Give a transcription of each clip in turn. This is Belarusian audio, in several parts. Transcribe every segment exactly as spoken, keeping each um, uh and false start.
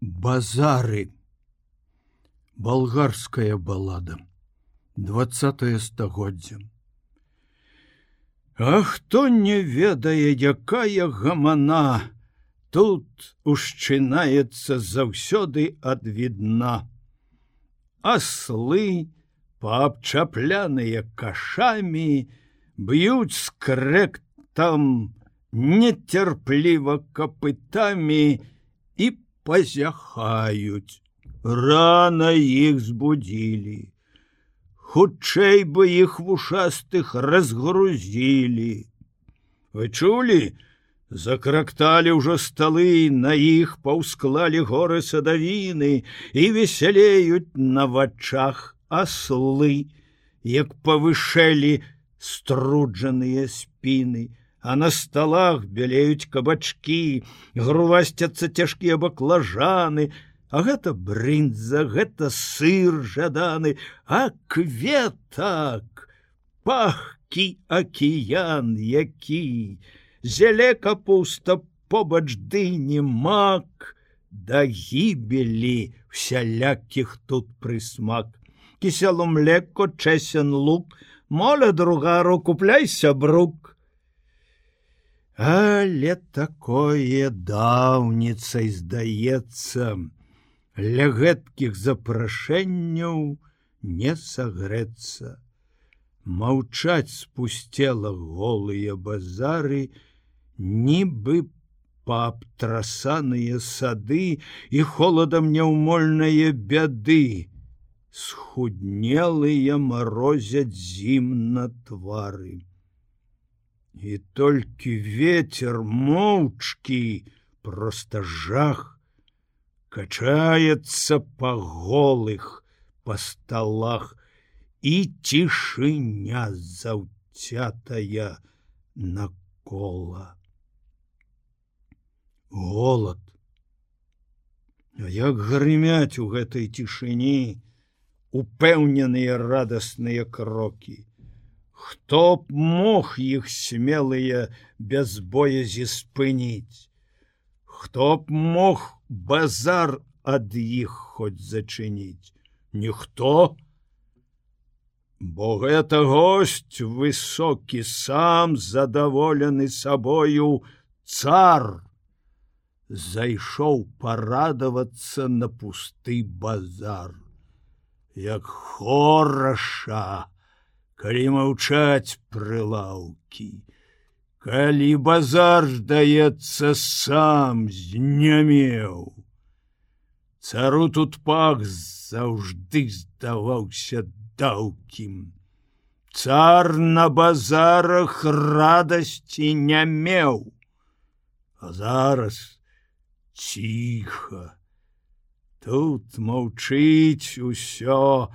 Базары. Балгарская балада. двадцатае стагоддзе. А хто не ведае, якая гамана, тут ушчынаецца заўсёды ад відна. Аслы, паабчапляныя кашамі, б'юць скрэктам, нецярпліва капытамі і пазяхаюць. Рана іх збудзілі. Хутчэй бы іх вушастых разгрузілі. Вы чулі? Закракталі ўжо сталы, на іх паўсклалі горы садавіны і весялеюць на вачах аслы, як павышэлі струджаныя спіны. А на сталах бялеюць кабачкі, грувасцяцца цяжкія баклажаны, а гэта брынза, гэта сыр жаданы, а кветак, пахкі акіян які, зеле капуста побач дыні мак, да гібелі всялякіх тут прысмак. Кісело млеко, чесен лук, моля другару, купляй сябрук. Але такое даўніцай здаецца, ля гэткіх запрашэнняў не сагрэцца. Маўчаць спусцела голыя базары, нібы паабтрасаныя сады і холадам няўмольнае бяды. Схуднелыя марозяць зім на твары. І толькі ветер моўчкі, проста жах, качаецца па голых, па сталах, і цішыня заўцятая накола. Голад. А як грымяць у гэтай цішыні упэўненыя радасныя крокі. Хто б мог іх смелыя без боязі спыніць? Хто б мог базар ад іх хоць зачыніць? Ніхто. Бо гэта госць высокі, сам задаволены сабою цар, зайшоў парадавацца на пусты базар. Як хораша, калі маўчаць прылаўкі, калі базар, здаецца, сам знямеў. Цару тут пах заўжды здаваўся даўкім. Цар на базарах радасці не меў. А зараз ціха. Тут маўчыць усё.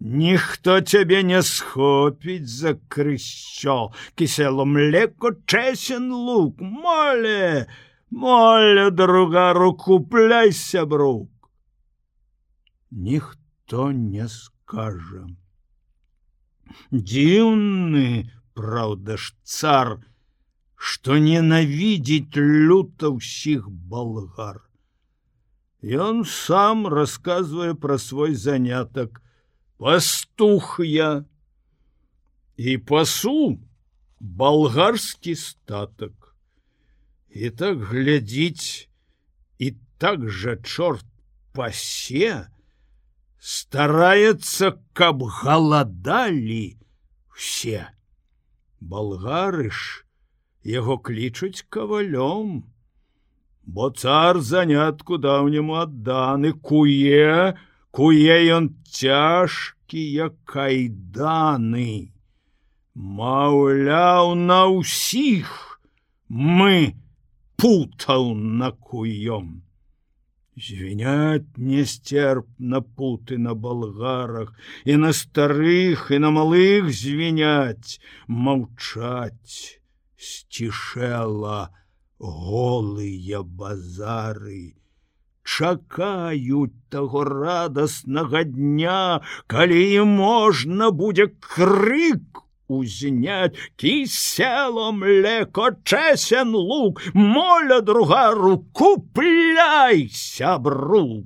Ніхто цябе не схопіць за крысцё. Кісело млеко, чесен лук. Моле, моле, другару, купляй сябрук. Ніхто не скажа. Дзіўны, праўда ж, цар, што ненавідзіць люта ўсіх болгар. Ён сам расказвае пра свой занятак. Пастух я і пасу балгарскі статак. І так глядзіць, і так жа чорт пасе, стараецца, каб галадалі все. Болгары ж яго клічуць кавалём, бо цар занятку даўняму адданы, куе, куе ён цяжкія кайданы. Маўляў, на ўсіх мы путаў накуём. Звіняць несцерпна путы на балгарах, і на старых, і на малых звіняць, маўчаць сцішэла голыя базары. Чакаюць таго радаснага дня, калі ім можна будзе крык узнять, кисело млеко, чесен лук, моля другару, купляй сябру.